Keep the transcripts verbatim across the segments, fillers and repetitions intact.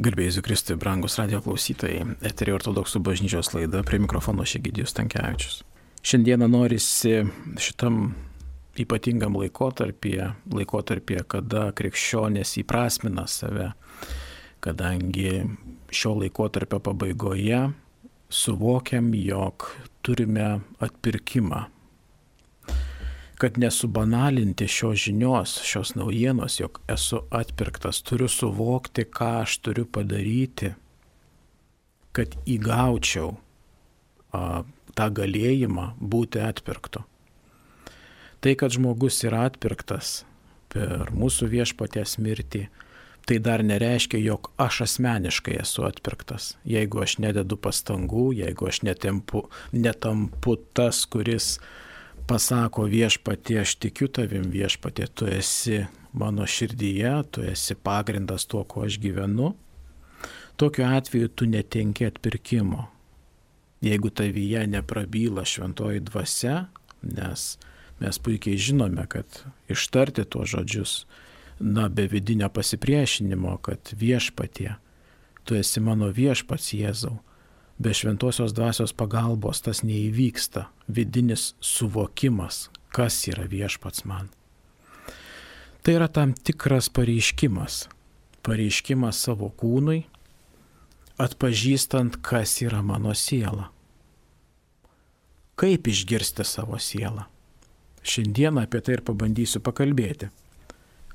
Garbėjai Kristui, brangus radijo klausytojai, eterio ortodoksų bažnyčios laida, prie mikrofono Egidijus Stankevičius. Šiandieną norisi šitam ypatingam laikotarpyje, laikotarpyje, kada krikščionės įprasmina save, kadangi šio laikotarpio pabaigoje suvokiam, jog turime atpirkimą. Kad nesubanalinti šios žinios, šios naujienos, jog esu atpirktas, turiu suvokti, ką aš turiu padaryti, kad įgaučiau a, tą galėjimą būti atpirktu. Tai, kad žmogus yra atpirktas per mūsų viešpaties mirtį, tai dar nereiškia, jog aš asmeniškai esu atpirktas. Jeigu aš nededu pastangų, jeigu aš netempu, netampu tas, kuris pasako viešpatie, aš tikiu tavim viešpatie, tu esi mano širdyje, tu esi pagrindas tuo, kuo aš gyvenu, tokiu atveju tu netenki atpirkimo. Jeigu tavyje neprabyla šventoji dvasia, nes mes puikiai žinome, kad ištarti tuos žodžius, na, be vidinio pasipriešinimo, kad viešpatie, tu esi mano viešpats Jėzau, be šventosios dvasios pagalbos tas neįvyksta, vidinis suvokimas, kas yra viešpats man. Tai yra tam tikras pareiškimas, pareiškimas savo kūnui, atpažįstant, kas yra mano siela. Kaip išgirsti savo sielą? Šiandieną apie tai ir pabandysiu pakalbėti.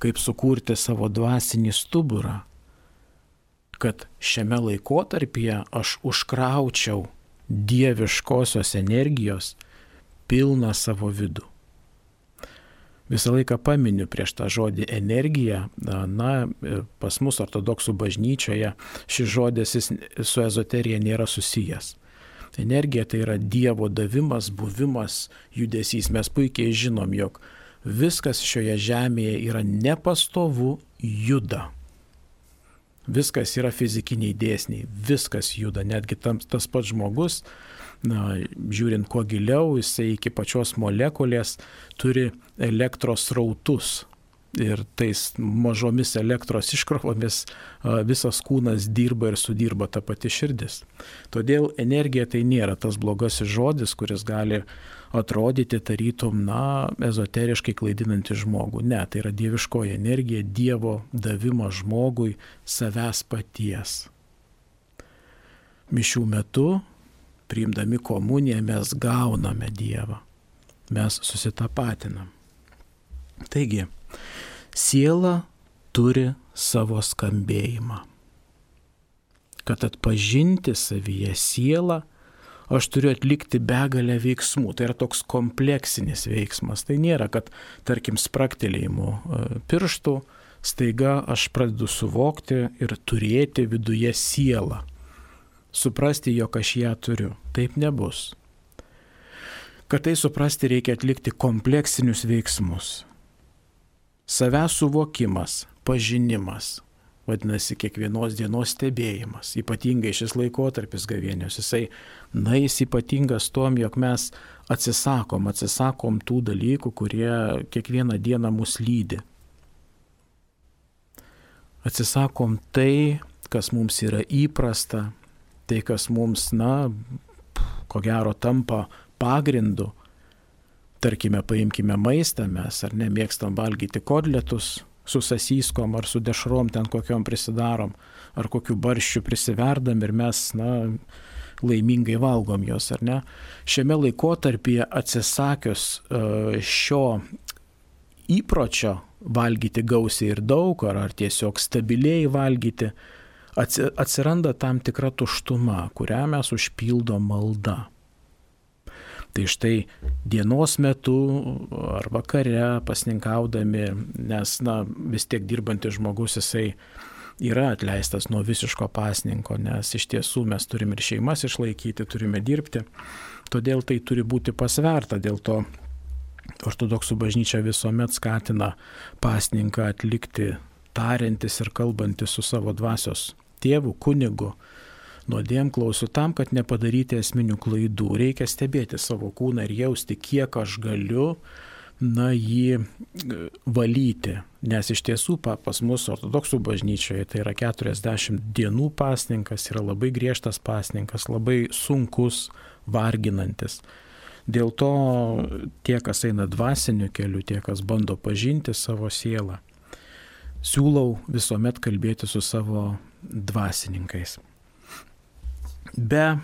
Kaip sukurti savo dvasinį stuburą, kad šiame laikotarpyje aš užkraučiau dieviškosios energijos pilną savo vidų. Visą laiką paminiu prieš tą žodį energija, na, pas mus ortodoksų bažnyčioje šis žodis su ezoterija nėra susijęs. Energija tai yra Dievo davimas, buvimas, judesys. Mes puikiai žinom, jog viskas šioje žemėje yra nepastovu, juda. Viskas yra fizikiniai dėsniai, viskas juda, netgi tam, tas pats žmogus, na, žiūrint kuo giliau, jisai iki pačios molekulės turi elektros srautus ir tais mažomis elektros iškrovomis visas kūnas dirba ir sudirba ta pati širdis. Todėl energija tai nėra tas blogasis žodis, kuris gali atrodyti tarytum, na, ezoteriškai klaidinantį žmogų. Ne, tai yra dieviškoji energija, Dievo davimas žmogui savęs paties. Mišių metu, priimdami komuniją, mes gauname Dievą. Mes susitapatinam. Taigi, siela turi savo skambėjimą. Kad atpažinti savyje sielą, aš turiu atlikti begalę veiksmų. Tai yra toks kompleksinis veiksmas. Tai nėra, kad, tarkim, spraktelėjimu pirštų staiga aš pradedu suvokti ir turėti viduje sielą. Suprasti, jog aš ją turiu. Taip nebus. Kad tai suprasti, reikia atlikti kompleksinius veiksmus. Savęs suvokimas, pažinimas. Vadinasi, kiekvienos dienos stebėjimas, ypatingai šis laikotarpis gavėnios, jisai, na, jis ypatingas tom, jog mes atsisakom, atsisakom tų dalykų, kurie kiekvieną dieną mus lydi. Atsisakom tai, kas mums yra įprasta, tai, kas mums, na, ko gero tampa pagrindu. Tarkime, paimkime maistą, mes ar ne mėgstam valgyti kotletus, su sasyskom ar su dešrom ten kokiom prisidarom, ar kokiu barščiu prisiverdam ir mes, na, laimingai valgom jos, ar ne. Šiame laikotarpyje atsisakius šio įpročio valgyti gausiai ir daug, ar, ar tiesiog stabiliai valgyti, atsiranda tam tikra tuštuma, kurią mes užpildom malda. Tai štai dienos metu ar vakare pasninkaudami, nes, na, vis tiek dirbantis žmogus, jisai yra atleistas nuo visiško pasninko, nes iš tiesų mes turime ir šeimas išlaikyti, turime dirbti. Todėl tai turi būti pasverta, dėl to ortodoksų bažnyčia visuomet skatina pasninką atlikti tariantis ir kalbantis su savo dvasios tėvu, kunigu, nuodėmklausiu tam, kad nepadaryti esminių klaidų. Reikia stebėti savo kūną ir jausti, kiek aš galiu na, jį valyti. Nes iš tiesų pas mus ortodoksų bažnyčioje tai yra keturiasdešimt dienų pasninkas, yra labai griežtas pasninkas, labai sunkus, varginantis. Dėl to tie, kas eina dvasiniu keliu, tie, kas bando pažinti savo sielą, siūlau visuomet kalbėti su savo dvasininkais. Be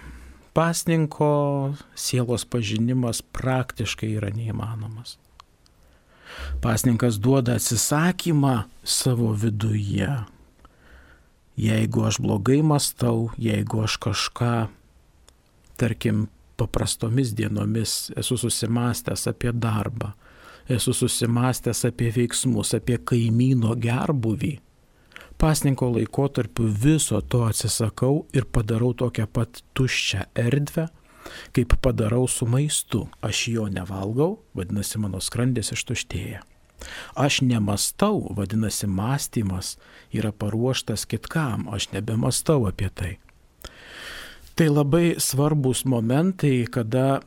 pasninko sielos pažinimas praktiškai yra neįmanomas. Pasninkas duoda atsisakymą savo viduje. Jeigu aš blogai mąstau, jeigu aš kažką, tarkim, paprastomis dienomis esu susimastęs apie darbą, esu susimastęs apie veiksmus, apie kaimyno gerbūvį, pasninko laikotarpiu viso to atsisakau ir padarau tokią pat tuščią erdvę, kaip padarau su maistu. Aš jo nevalgau, vadinasi, mano skrandis ištuštėja. Aš nemastau, vadinasi, mąstymas yra paruoštas kitkam, aš nebemastau apie tai. Tai labai svarbus momentai, kada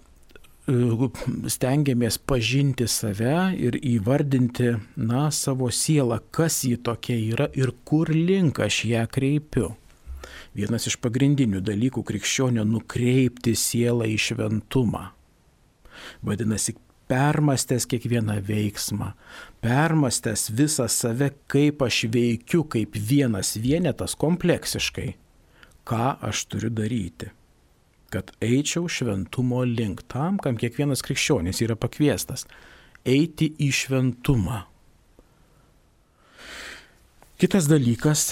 stengiamės pažinti save ir įvardinti, na, savo sielą, kas ji tokia yra ir kur link aš ją kreipiu. Vienas iš pagrindinių dalykų krikščionio nukreipti sielą į šventumą. Vadinasi, permastęs kiekvieną veiksmą, permastęs visą save, kaip aš veikiu, kaip vienas vienetas kompleksiškai, ką aš turiu daryti, kad eičiau šventumo link, tam, kam kiekvienas krikščionis yra pakviestas, eiti į šventumą. Kitas dalykas,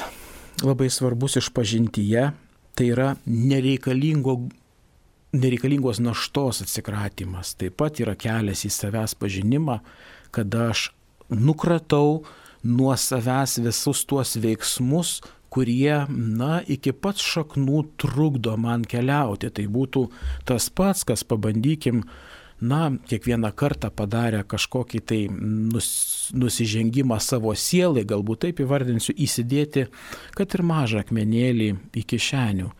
labai svarbus išpažintyje, tai yra nereikalingo, nereikalingos naštos atsikratymas. Taip pat yra kelias į savęs pažinimą, kada aš nukratau nuo savęs visus tuos veiksmus, kurie, na, iki pat šaknų trukdo man keliauti. Tai būtų tas pats, kas pabandykim, na, kiekvieną kartą padarę kažkokį tai nus, nusižengimą savo sielai, galbūt taip įvardinsiu, įsidėti, kad ir mažą akmenėlį į kišenių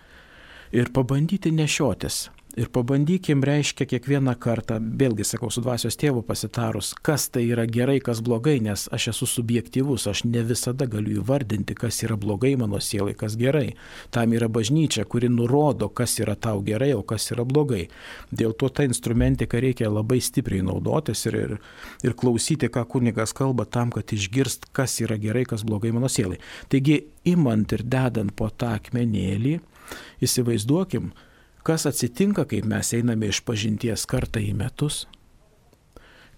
ir pabandyti nešiotis. Ir pabandykim, reiškia, kiekvieną kartą, vėlgi sakau, su dvasios tėvu pasitarus, kas tai yra gerai, kas blogai, nes aš esu subjektyvus, aš ne visada galiu įvardinti, kas yra blogai mano sielai, kas gerai. Tam yra bažnyčia, kuri nurodo, kas yra tau gerai, o kas yra blogai. Dėl to tą instrumentiką reikia labai stipriai naudotis ir, ir, ir klausyti, ką kunigas kalba, tam, kad išgirst, kas yra gerai, kas blogai mano sielai. Taigi, imant ir dedant po tą akmenėlį, įsivaizduokim, kas atsitinka, kaip mes einame iš pažinties kartą į metus,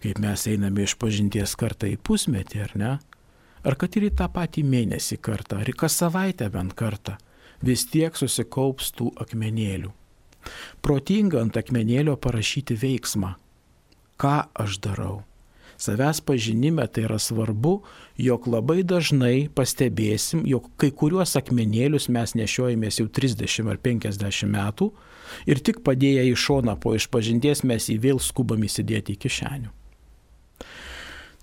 kaip mes einame iš pažinties kartą į pusmetį, ar ne? Ar kad ir į tą patį mėnesį kartą, ar į kas savaitę bent kartą, vis tiek susikaups tų akmenėlių. Protinga ant akmenėlio parašyti veiksmą. Ką aš darau? Savęs pažinime tai yra svarbu, jog labai dažnai pastebėsim, jog kai kuriuos akmenėlius mes nešiojamės jau trisdešimt ar penkiasdešimt metų ir tik padėję į šoną po išpažinties mes jį vėl skubam įsidėti į kišenių.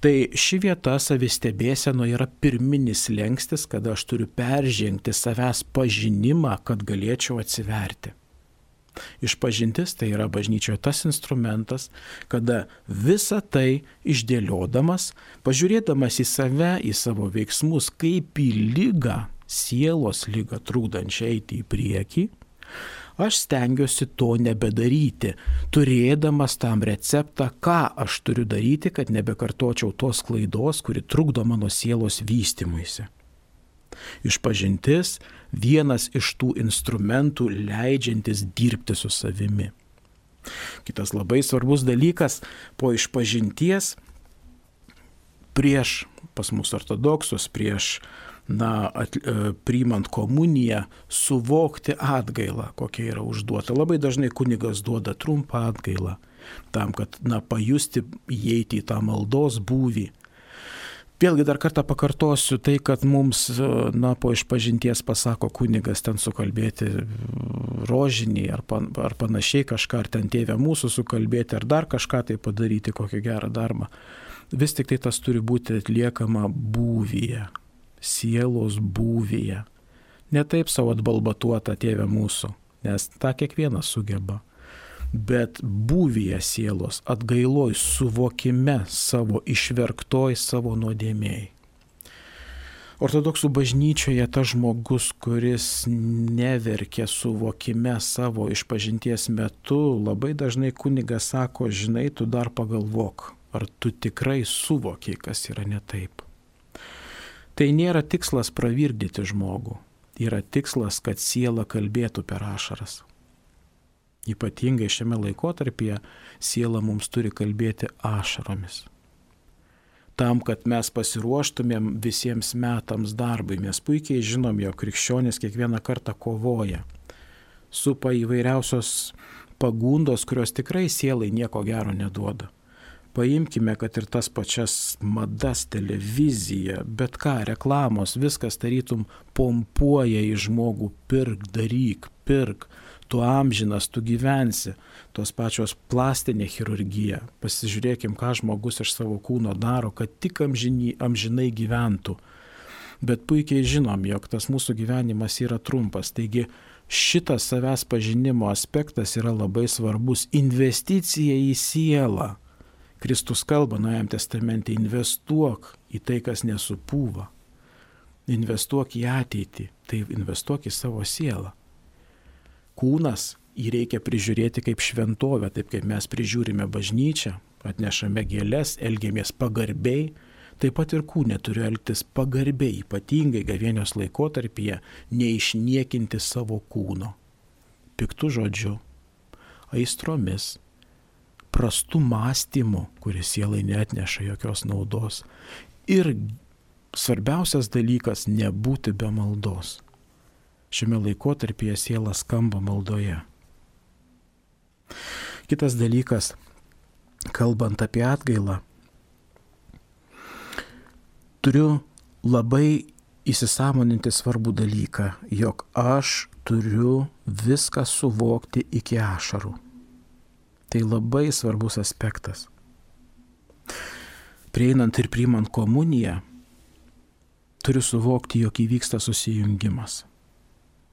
Tai ši vieta savistebėseno yra pirminis slenkstis, kada aš turiu peržengti savęs pažinimą, kad galėčiau atsiverti. Išpažintis tai yra bažnyčioje tas instrumentas, kada visą tai išdėliodamas, pažiūrėdamas į save, į savo veiksmus, kaip į ligą, sielos ligą trukdančią eiti į priekį, aš stengiuosi to nebedaryti, turėdamas tam receptą, ką aš turiu daryti, kad nebekartočiau tos klaidos, kuri trukdo mano sielos vystymuisi. Išpažintis vienas iš tų instrumentų leidžiantis dirbti su savimi. Kitas labai svarbus dalykas, po išpažinties prieš, pas mus ortodoksus, prieš, na, at, priimant komuniją, suvokti atgailą, kokia yra užduota. Labai dažnai kunigas duoda trumpą atgailą, tam, kad, na, pajusti, įeiti į tą maldos būvį. Vėlgi dar kartą pakartosiu tai, kad mums, na, po išpažinties pasako kunigas ten sukalbėti rožinį ar, pan, ar panašiai kažką, ar ten tėvę mūsų sukalbėti, ar dar kažką tai padaryti, kokį gerą darbą. Vis tik tai tas turi būti atliekama būvyje, sielos būvyje. Ne taip savo atbalbatuota tėvę mūsų, nes tą kiekvienas sugeba. bet būvyje sielos, atgailoj, suvokime savo, išverktoj savo nuodėmėjai. Ortodoksų bažnyčioje tas žmogus, kuris neverkia suvokime savo išpažinties metu, labai dažnai kunigas sako, žinai, tu dar pagalvok, ar tu tikrai suvokiai, kas yra ne taip. Tai nėra tikslas pravirkdyti žmogų, yra tikslas, kad siela kalbėtų per ašaras. Ypatingai šiame laikotarpyje siela mums turi kalbėti ašaromis. Tam, kad mes pasiruoštumėm visiems metams darbui. Mes puikiai žinom, jog krikščionis kiekvieną kartą kovoja. Supa įvairiausios pagundos, kurios tikrai sielai nieko gero neduoda. Paimkime, kad ir tas pačias madas, televiziją, bet ką, reklamos, viskas tarytum pompuoja į žmogų, pirk, daryk, pirk. Tu amžinas, tu gyvensi, tos pačios plastinė chirurgija. Pasižiūrėkim, ką žmogus iš savo kūno daro, kad tik amžinai, amžinai gyventų. Bet puikiai žinom, jog tas mūsų gyvenimas yra trumpas. Taigi šitas savęs pažinimo aspektas yra labai svarbus. Investicija į sielą. Kristus kalba Naujajam testamente, investuok į tai, kas nesupūva. Investuok į ateitį, tai investuok į savo sielą. Kūnas jį reikia prižiūrėti kaip šventovę, taip kaip mes prižiūrime bažnyčią, atnešame gėles, elgiamės pagarbiai, taip pat ir kūne turiu elgtis pagarbiai, ypatingai gavėnios laikotarpyje, neišniekinti savo kūno. Piktų žodžių, aistromis, prastų mąstymų, kuris sielai neatneša jokios naudos. Ir svarbiausias dalykas – nebūti be maldos. Šiame laikotarpyje siela skamba maldoje. Kitas dalykas, kalbant apie atgailą, turiu labai įsisąmoninti svarbų dalyką, jog aš turiu viską suvokti iki ašarų. Tai labai svarbus aspektas. Prieinant ir priimant komuniją, turiu suvokti, jog įvyksta susijungimas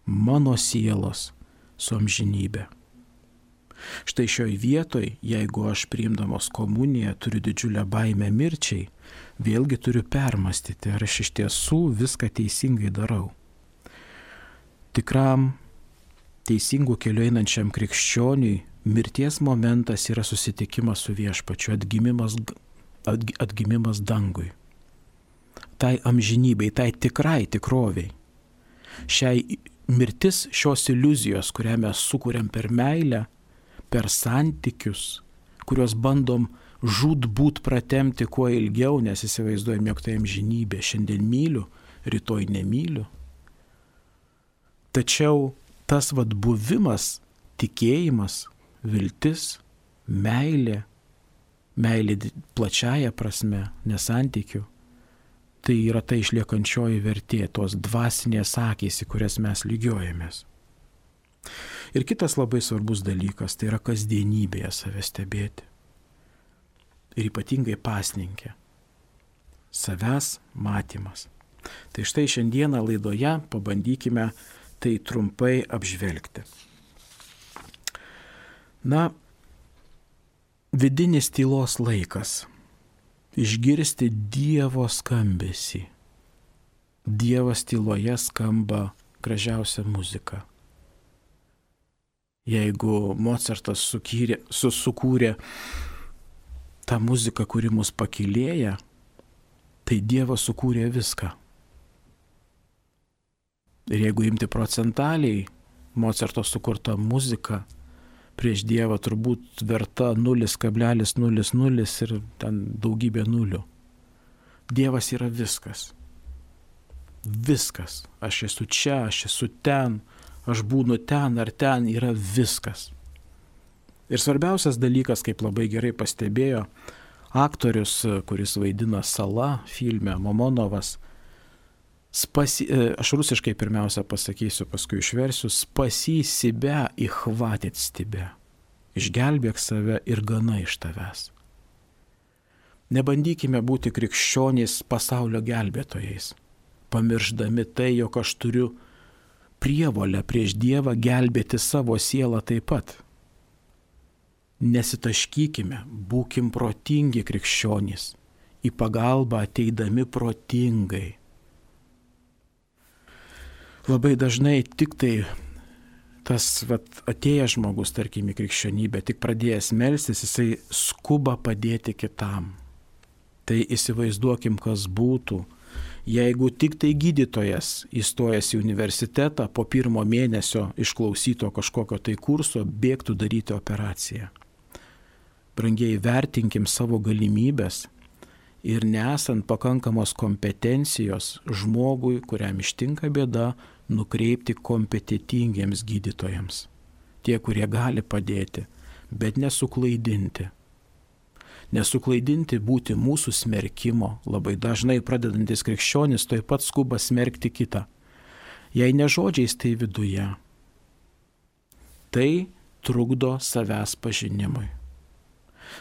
mano sielos su amžinybė. Štai šioj vietoj, jeigu aš priimdamas komuniją turiu didžiulę baimę mirčiai, vėlgi turiu permastyti, ar aš iš tiesų viską teisingai darau. Tikram teisingų keliu einančiam krikščioniui mirties momentas yra susitikimas su viešpačiu, atgimimas, atgimimas dangui. Tai amžinybei, tai tikrai tikroviai. Šiai mirtis šios iliuzijos, kurią mes sukuriam per meilę, per santykius, kuriuos bandom žūtbūt pratemti kuo ilgiau, nes įsivaizduojam, jog tai amžinybė. Šiandien myliu, rytoj nemyliu. Tačiau tas vat buvimas, tikėjimas, viltis, meilė, meilė plačiaja prasme, nesantykių, tai yra ta išliekančioji vertė, tos dvasinės akys, į kurias mes lygiuojamės. Ir kitas labai svarbus dalykas, tai yra kasdienybėje save stebėti. Ir ypatingai pasninke. Savęs matymas. Tai štai šiandieną laidoje pabandykime tai trumpai apžvelgti. Na, vidinis tylos laikas. Išgirsti Dievo skambesį. Dievas tyloje skamba gražiausia muzika. Jeigu Mocartas sukūrė, sukūrė tą muziką, kuri mus pakylėja, tai Dievas sukūrė viską. Ir jeigu imti procentaliai, Mocarto sukurta muzika prieš Dievą turbūt verta nulis kablelis nulis nulis ir ten daugybė nulių. Dievas yra viskas. Viskas. Aš esu čia, aš esu ten, aš būnu ten ar ten, yra viskas. Ir svarbiausias dalykas, kaip labai gerai pastebėjo aktorius, kuris vaidina Sala filme, Momonovas, spasi, aš rusiškai pirmiausia pasakysiu, paskui išversiu, spasi себя и хватит с тебя. Išgelbėk save ir gana iš tavęs. Nebandykime būti krikščionys pasaulio gelbėtojais, pamirždami tai, jog aš turiu prievolę prieš Dievą gelbėti savo sielą taip pat. Nesitaškykime, būkim protingi krikščionys, į pagalbą ateidami protingai. Labai dažnai tik tai tas vat, atėjęs žmogus, tarkim, į krikščionybę, tik pradėjęs melstis, jisai skuba padėti kitam. Tai įsivaizduokim, kas būtų, jeigu tik tai gydytojas įstojęs į universitetą po pirmo mėnesio išklausyto kažkokio tai kurso bėgtų daryti operaciją. Brangiai, vertinkim savo galimybės ir nesant pakankamos kompetencijos žmogui, kuriam ištinka bėda, nukreipti kompetitingiems gydytojams. Tie, kurie gali padėti, bet nesuklaidinti. Nesuklaidinti būti mūsų smerkimo. Labai dažnai pradedantis krikščionis taip pat skuba smerkti kitą. Jei ne žodžiais, tai viduje. Tai trukdo savęs pažinimui.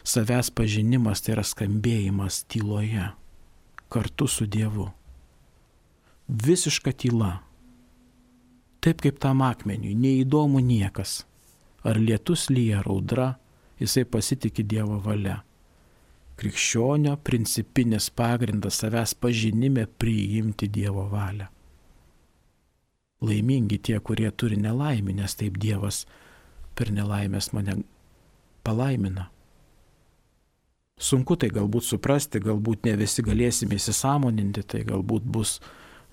Savęs pažinimas tai yra skambėjimas tyloje, kartu su Dievu. Visiška tyla. Taip kaip tam akmeniui, neįdomu niekas. Ar lietus lyja, ar audra, jisai pasitikė Dievo valia. Krikščionio principinis pagrindas savęs pažinime priimti Dievo valią. Laimingi tie, kurie turi nelaimę, nes taip Dievas per nelaimės mane palaimina. Sunku tai galbūt suprasti, galbūt ne visi galėsime įsisąmoninti, tai galbūt bus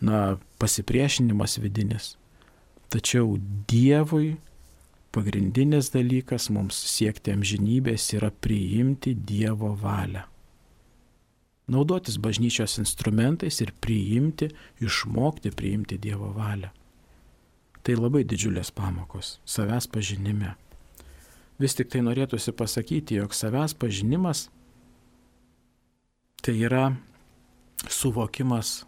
na, pasipriešinimas vidinis. Tačiau Dievui pagrindinis dalykas mums siekti amžinybės yra priimti Dievo valią. Naudotis bažnyčios instrumentais ir priimti, išmokti priimti Dievo valią. Tai labai didžiulės pamokos savęs pažinime. Vis tik tai norėtųsi pasakyti, jog savęs pažinimas tai yra suvokimas,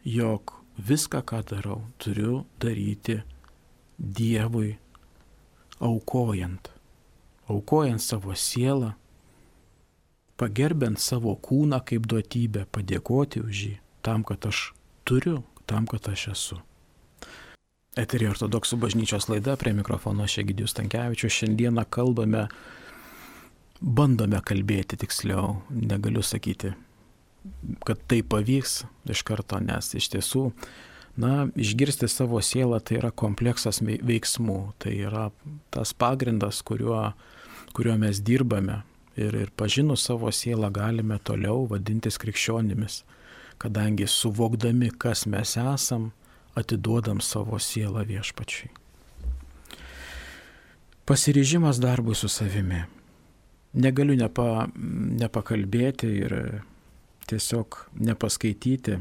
jog viską, ką darau, turiu daryti Dievui, aukojant, aukojant savo sielą, pagerbent savo kūną kaip duotybę, padėkoti už jį, tam, kad aš turiu, tam, kad aš esu. Eteryje Ortodoksų bažnyčios laida, prie mikrofono aš Egidijus Stankevičius. Šiandieną kalbame, bandome kalbėti tiksliau, negaliu sakyti, kad tai pavyks iš karto, nes iš tiesų, na, išgirsti savo sielą tai yra kompleksas veiksmų, tai yra tas pagrindas, kuriuo, kuriuo mes dirbame ir, ir pažinus savo sielą galime toliau vadintis krikščionimis, kadangi suvokdami, kas mes esam, atiduodam savo sielą Viešpačiui. Pasiryžimas darbui su savimi. Negaliu nepa, nepakalbėti ir tiesiog nepaskaityti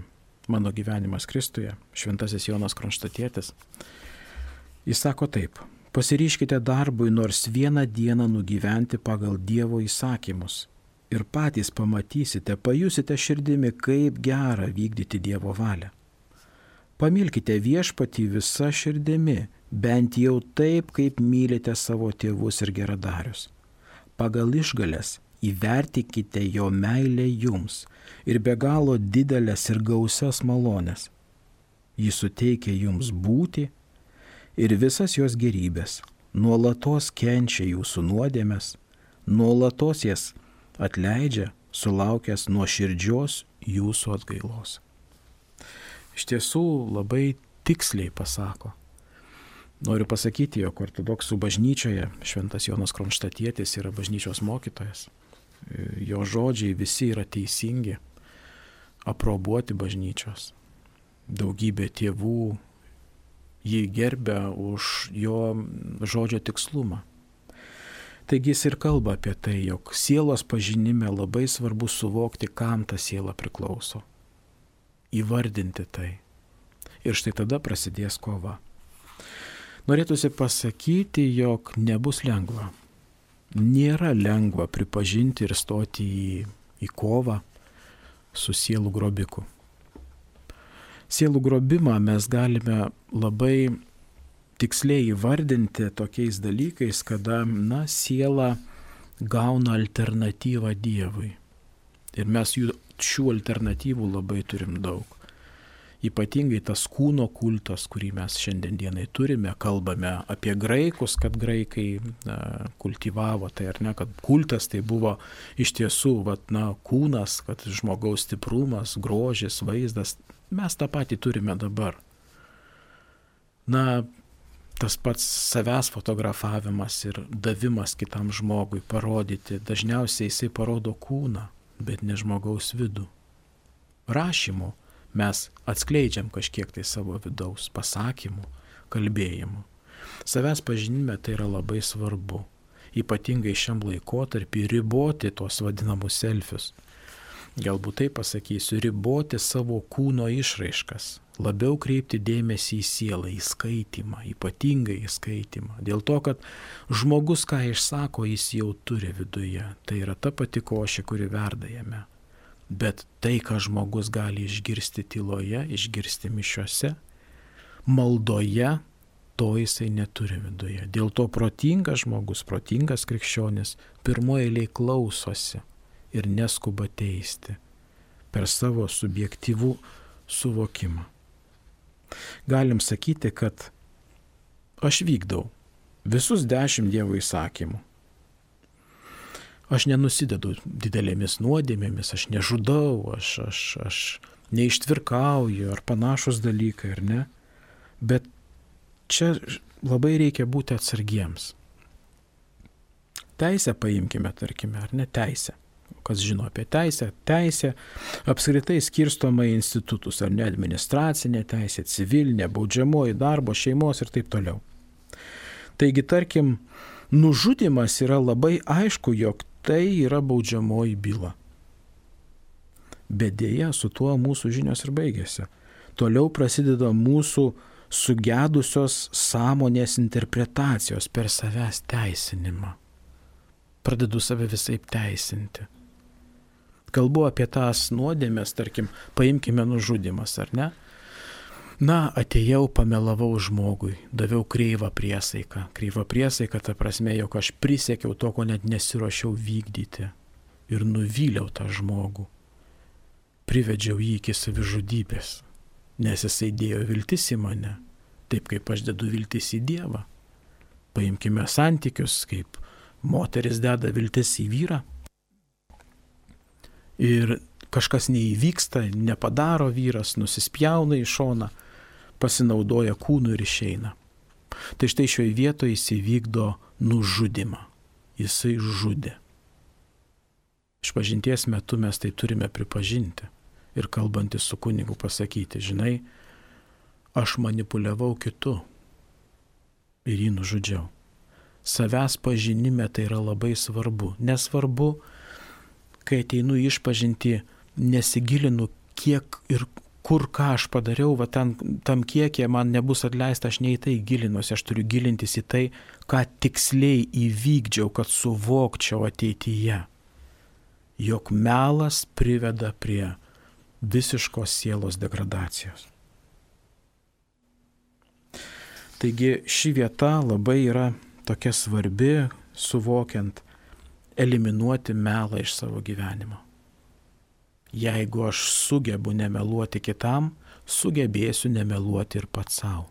Mano gyvenimas Kristuje, šventasis Jonas Kronštatietis. Jis sako taip: pasiryžkite darbui nors vieną dieną nugyventi pagal Dievo įsakymus ir patys pamatysite, pajusite širdimi, kaip gera vykdyti Dievo valią. Pamilkite Viešpatį visa širdimi, bent jau taip, kaip mylite savo tėvus ir geradarius. Pagal išgalės įvertinkite jo meilę jums ir be galo didelės ir gausias malonės. Jis suteikia jums būti ir visas jos gerybės, nuolatos kenčia jūsų nuodėmes, nuolatos jas atleidžia, sulaukęs nuoširdžios jūsų atgailos. Iš tiesų labai tiksliai pasako. Noriu pasakyti, jog Ortodoksų bažnyčioje šventas Jonas Kronštatietis yra bažnyčios mokytojas. Jo žodžiai visi yra teisingi, aprobuoti bažnyčios. Daugybė tėvų jį gerbia už jo žodžio tikslumą. Taigi jis ir kalba apie tai, jog sielos pažinime labai svarbu suvokti, kam ta siela priklauso. Įvardinti tai. Ir štai tada prasidės kova. Norėtųsi pasakyti, jog nebus lengva. Nėra lengva pripažinti ir stoti į, į kovą su sielų grobiku. Sielų grobimą mes galime labai tiksliai įvardinti tokiais dalykais, kada, na, siela gauna alternatyvą Dievui. Ir mes jų, šių alternatyvų labai turim daug. Ypatingai tas kūno kultas, kurį mes šiandien dienai turime, kalbame apie graikus, kad graikai na, kultivavo tai ar ne, kad kultas tai buvo iš tiesų vat, na, kūnas, kad žmogaus stiprumas, grožis, vaizdas. Mes tą patį turime dabar. Na, tas pats savęs fotografavimas ir davimas kitam žmogui parodyti, dažniausiai jisai parodo kūną, bet ne žmogaus vidų. Rašymu mes atskleidžiam kažkiek tai savo vidaus pasakymų, kalbėjimų. Savęs pažinime tai yra labai svarbu, ypatingai šiam laikotarpį riboti tuos vadinamus selfius. Galbūt tai pasakysiu, riboti savo kūno išraiškas, labiau kreipti dėmesį į sielą, į skaitymą, ypatingai į skaitymą. Dėl to, kad žmogus, ką išsako, jis jau turi viduje. Tai yra ta pati košė, kuri verda jame. Bet tai, ką žmogus gali išgirsti tyloje, išgirsti mišiuose, maldoje, to jisai neturi viduje. Dėl to protingas žmogus, protingas krikščionis, pirmoje eilėje klausosi ir neskuba teisti per savo subjektyvų suvokimą. Galim sakyti, kad aš vykdau visus dešimt Dievo įsakymų. Aš nenusidedu didelėmis nuodėmėmis, aš nežudau, aš, aš, aš neištvirkauju ar panašus dalykai, ar ne. Bet čia labai reikia būti atsargiems. Teisę paimkime, tarkime, ar ne teisę. Kas žino apie teisę? Teisė apskritai skirstoma į institutus, ar ne, administracinė teisė, civilinė, baudžiamoji, darbo, šeimos ir taip toliau. Taigi, tarkim, nužudymas yra labai aišku, jog tai yra baudžiamoji byla. Bet dėja, su tuo mūsų žinios ir baigėsi. Toliau prasideda mūsų sugedusios sąmonės interpretacijos per savęs teisinimą. Pradedu save visaip teisinti. Kalbu apie tas nuodėmės, tarkim, paimkime nužudymas, ar ne? Na, atėjau, pamelavau žmogui, daviau kreivą priesaiką. Kreivą priesaiką, ta prasme, jog aš prisiekiau to, ko net nesiruošiau vykdyti. Ir nuvyliau tą žmogų. Privedžiau jį iki savižudybės, nes jisai dėjo viltis į mane, taip kaip aš dedu viltis į Dievą. Paimkime santykius, kaip moteris deda viltis į vyrą. Ir kažkas neįvyksta, nepadaro vyras, nusispjauna į šoną, pasinaudoja kūnų ir išeina. Tai štai šioje vietoje jis įvykdo nužudimą. Jisai žudė. Išpažinties metu mes tai turime pripažinti ir kalbantis su kunigu pasakyti, žinai, aš manipuliavau kitu ir jį nužudžiau. Savęs pažinime tai yra labai svarbu. Nesvarbu, kai ateinu išpažinti, nesigilinu, kiek ir kur ką aš padariau, va tam, tam kiekė man nebus atleista, aš ne į tai gilinuosi, aš turiu gilintis į tai, ką tiksliai įvykdžiau, kad suvokčiau ateityje, jog melas priveda prie visiškos sielos degradacijos. Taigi ši vieta labai yra tokia svarbi, suvokiant, eliminuoti melą iš savo gyvenimo. Jeigu aš sugebu nemeluoti kitam, sugebėsiu nemeluoti ir pats savo.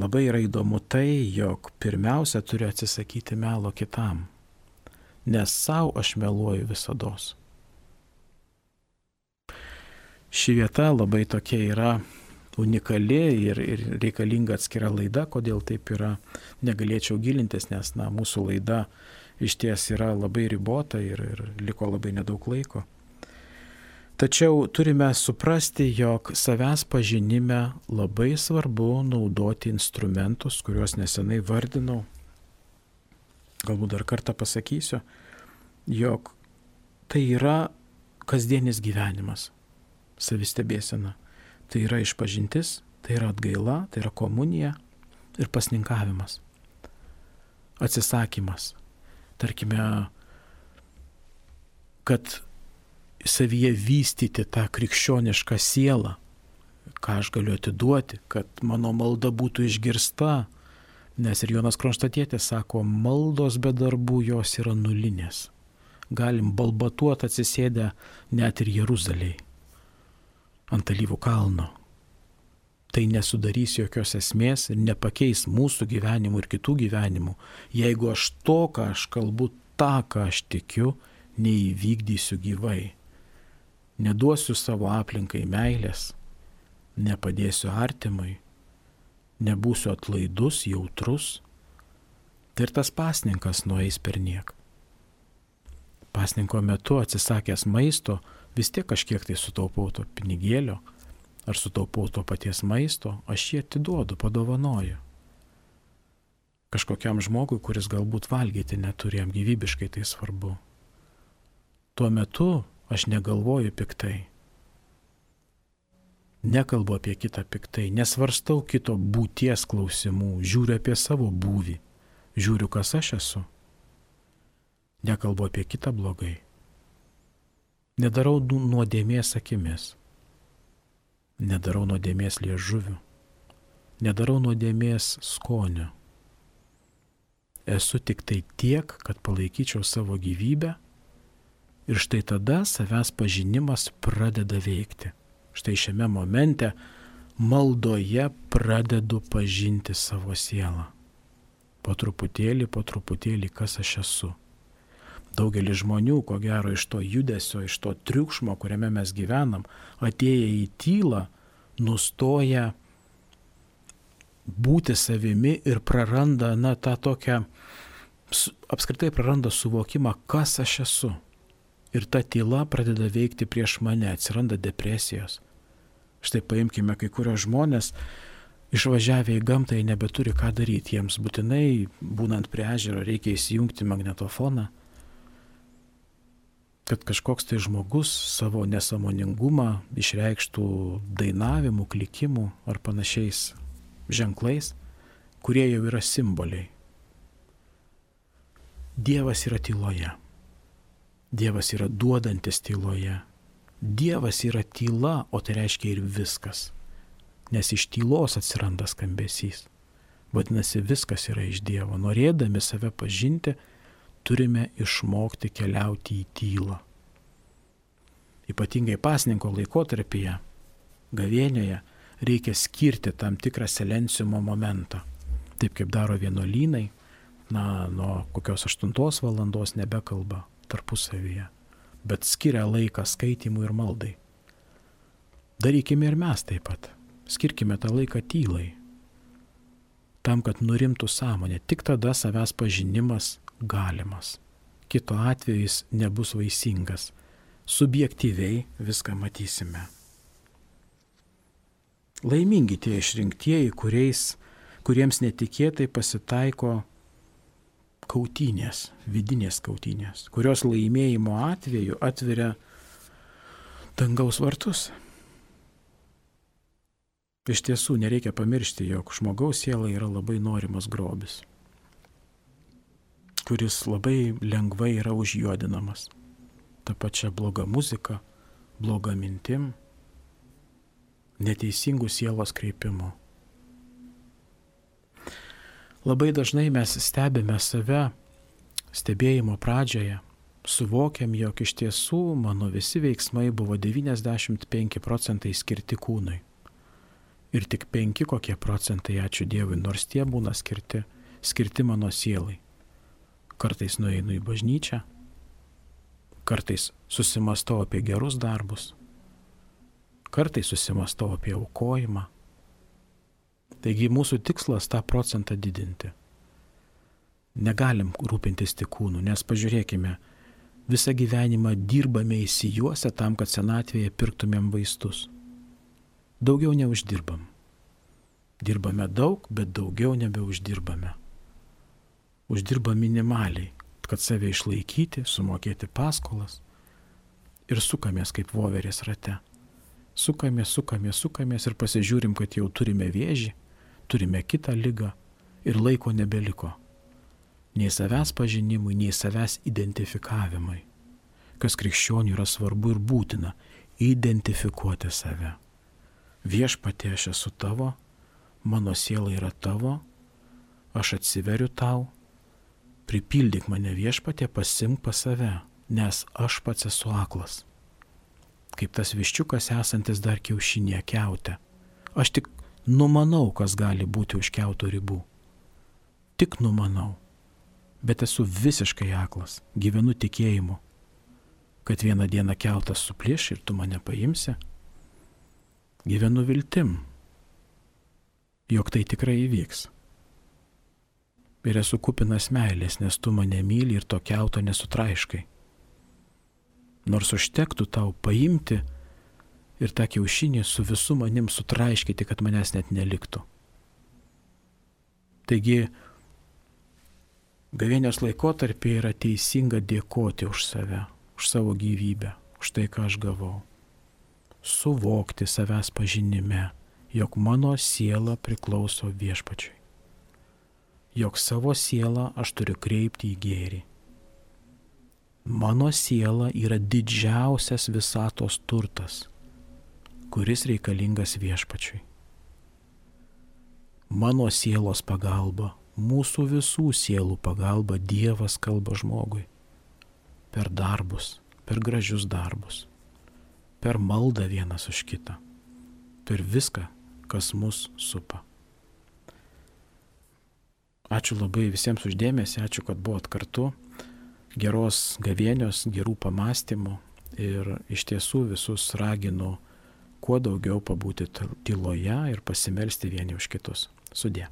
Labai yra įdomu tai, jog pirmiausia turiu atsisakyti melo kitam, nes savo aš meluoju visados. Ši vieta labai tokia yra unikali ir, ir reikalinga atskira laida, kodėl taip yra, negalėčiau gilintis, nes na, mūsų laida iš ties yra labai ribota ir, ir liko labai nedaug laiko. Tačiau turime suprasti, jog savęs pažinime labai svarbu naudoti instrumentus, kuriuos nesenai vardinau. Galbūt dar kartą pasakysiu, jog tai yra kasdienis gyvenimas, savistebėsena. Tai yra išpažintis, tai yra atgaila, tai yra komunija ir pasninkavimas. Atsisakymas. Tarkime, kad savyje vystyti tą krikščionišką sielą, ką aš galiu atiduoti, kad mano malda būtų išgirsta, nes ir Jonas Kronštatietis sako, maldos be darbų jos yra nulinės. Galim balbatuoti atsisėdę net ir Jeruzalėje. ant alyvų kalno. Tai nesudarys jokios esmės ir nepakeis mūsų gyvenimų ir kitų gyvenimų, jeigu aš to, ką aš kalbu, tą, ką aš tikiu, neįvykdysiu gyvai. Neduosiu savo aplinkai meilės, nepadėsiu artimui, nebūsiu atlaidus, jautrus. Tai ir tas pasninkas nueis per niek. Pasninko metu atsisakęs maisto, vis tiek kažkiek tai sutaupau to pinigėlio, ar sutaupau to paties maisto, aš jį atiduodu, padovanoju. Kažkokiam žmogui, kuris galbūt valgyti neturi, jam gyvybiškai tai svarbu. Tuo metu aš negalvoju piktai. Nekalbu apie kitą piktai, nesvarstau kito būties klausimų, žiūriu apie savo būvį, žiūriu, kas aš esu. Nekalbu apie kitą blogai. Nedarau nuodėmės akimis. Nedarau nuodėmės liežuviu. Nedarau nuodėmės skoniu. Esu tik tai tiek, kad palaikyčiau savo gyvybę ir štai tada savęs pažinimas pradeda veikti. Štai šiame momente maldoje pradedu pažinti savo sielą. Po truputėlį, po truputėlį, kas aš esu. Daugelis žmonių, ko gero, iš to judesio, iš to triukšmo, kuriame mes gyvenam, atėję į tylą, nustoja būti savimi ir praranda, na, tą tokią, apskritai praranda suvokimą, kas aš esu. Ir ta tyla pradeda veikti prieš mane, atsiranda depresijos. Štai paimkime kai kurios žmonės, išvažiavę į gamtą, jie nebeturi ką daryti. Jiems būtinai, būnant prie ežero, reikia įsijungti magnetofoną, kad kažkoks tai žmogus savo nesąmoningumą išreikštų dainavimu, klikimu ar panašiais ženklais, kurie jau yra simboliai. Dievas yra tyloje. Dievas yra duodantis tyloje. Dievas yra tyla, o tai reiškia ir viskas. Nes iš tylos atsiranda skambesys. Vadinasi, viskas yra iš Dievo. Norėdami save pažinti, turime išmokti keliauti į tylą. Ypatingai pasninko laikotarpyje, gavėnioje, reikia skirti tam tikrą silenciumo momentą. Taip kaip daro vienuolynai, na, nuo kokios aštuntos valandos nebekalba tarpusavyje, bet skiria laiką skaitimui ir maldai. Darykime ir mes taip pat. Skirkime tą laiką tylai. Tam, kad nurimtų sąmonė, tik tada savęs pažinimas galimas. Kito atveju jis nebus vaisingas. Subjektyviai viską matysime. Laimingi tie išrinktieji, kuriais, kuriems netikėtai pasitaiko kautynės, vidinės kautynės, kurios laimėjimo atveju atveria dangaus vartus. Iš tiesų nereikia pamiršti, jog žmogaus siela yra labai norimas grobis, kuris labai lengvai yra užjuodinamas. Ta pačia bloga muzika, bloga mintim, neteisingų sielos kreipimu. Labai dažnai mes stebime save stebėjimo pradžioje, suvokiam, jog iš tiesų mano visi veiksmai buvo devyniasdešimt penki procentai skirti kūnui. Ir tik penki kokie procentai, ačiū Dievui, nors tie būna skirti, skirti mano sielai. Kartais nueinu į bažnyčią, kartais susimastau apie gerus darbus, kartais susimastau apie aukojimą. Taigi mūsų tikslas tą procentą didinti. Negalim rūpintis tik kūnu, nes pažiūrėkime, visą gyvenimą dirbame įsijuose tam, kad senatvėje pirktumėm vaistus. Daugiau neuždirbam. Dirbame daug, bet daugiau nebeuždirbame. Uždirbam minimaliai, kad save išlaikyti, sumokėti paskolas ir sukamės kaip voverės rate. Sukamės, sukamės, sukamės ir pasižiūrim, kad jau turime vėžį, turime kitą ligą ir laiko nebeliko. Nei savęs pažinimui, nei savęs identifikavimui. Kas krikščionių yra svarbu ir būtina – identifikuoti save. Viešpatie, aš esu tavo, mano siela yra tavo, aš atsiveriu tau, pripildyk mane Viešpatie, pasimk pas save, nes aš pats esu aklas. kaip tas viščiukas esantis dar kiaušinėje kiaute. Aš tik numanau, kas gali būti už kiauto ribų. Tik numanau. Bet esu visiškai aklas, gyvenu tikėjimu, kad vieną dieną kiautas suplieš ir tu mane paimsi. Gyvenu viltim, jog tai tikrai įvyks. Ir esu kupinas meilės, nes tu mane myli ir to kiauto nesutraiškai. Nors užtektų tau paimti ir tą kiaušinį su visu manim sutraiškyti, kad manęs net neliktų. Taigi, gavėnios laikotarpį yra teisinga dėkoti už save, už savo gyvybę, už tai, ką aš gavau. Suvokti savęs pažinime, jog mano siela priklauso Viešpačiui. Jog savo sielą aš turiu kreipti į gėrį. Mano siela yra didžiausias visatos turtas, kuris reikalingas Viešpačiui. Mano sielos pagalba, mūsų visų sielų pagalba Dievas kalba žmogui. Per darbus, per gražius darbus, per maldą vienas už kitą, per viską, kas mus supa. Ačiū labai visiems uždėmesį, ačiū, kad buvot kartu. Geros gavėnios, gerų pamastymų ir iš tiesų visus raginu kuo daugiau pabūti tyloje ir pasimelsti vieni už kitus. Sudie.